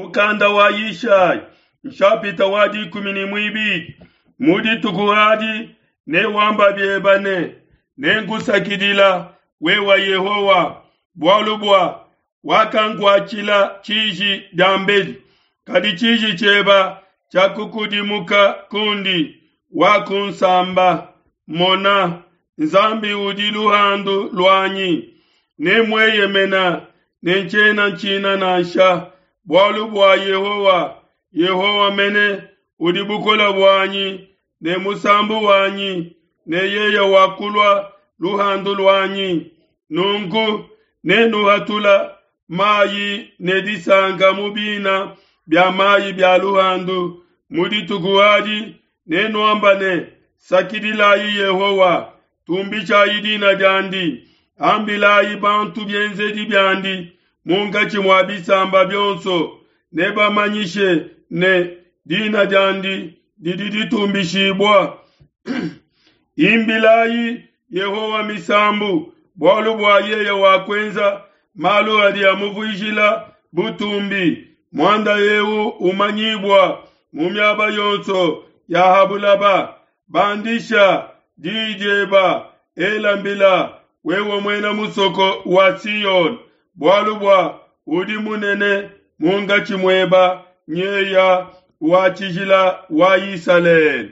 Mukanda wa Yishai, nshapita wa dikumi ne muibidi. Mu dituku adi newamba bieba ne, Nenkusakidila, wewa Yehowa, bualu bua wakankuatshila tshiji diambedi, kadi tshiji tshieba tshiakukudimuka kundi, wakunsamba. Mona, Nzambi udi luhandu luanyi, nemueyemena ne ntshiena ntshina nansha, bualu bua Yehowa, Yehowa mene udi bukole buanyi ne musambu wanyi, ne yeye wakulua luhandu luanyi. Nunku nenuhatula mayi ne disanka mu bina bia mayi bia luhandu. Mu dituku adi nenuamba ne, Sakidilayi Yehowa, tumbishayi dina diandi, ambilayi bantu bienzedi biandi munkatshi mua bisamba bionso, nebamanyishe ne, dina diandi didi ditumbishibua. Imbilayi Yehowa misambu, bualu bua yeye wakuenza malu adi amuvuijila butumbi. Muanda eu umanyibua mu miaba yonso ya ha bulaba. Bandisha diyi dieba, ela mbila, wewe muena musoko wa Siyone, bualu bua udi munene munkatshi mueba nyeya wa tshijila wa Isalele.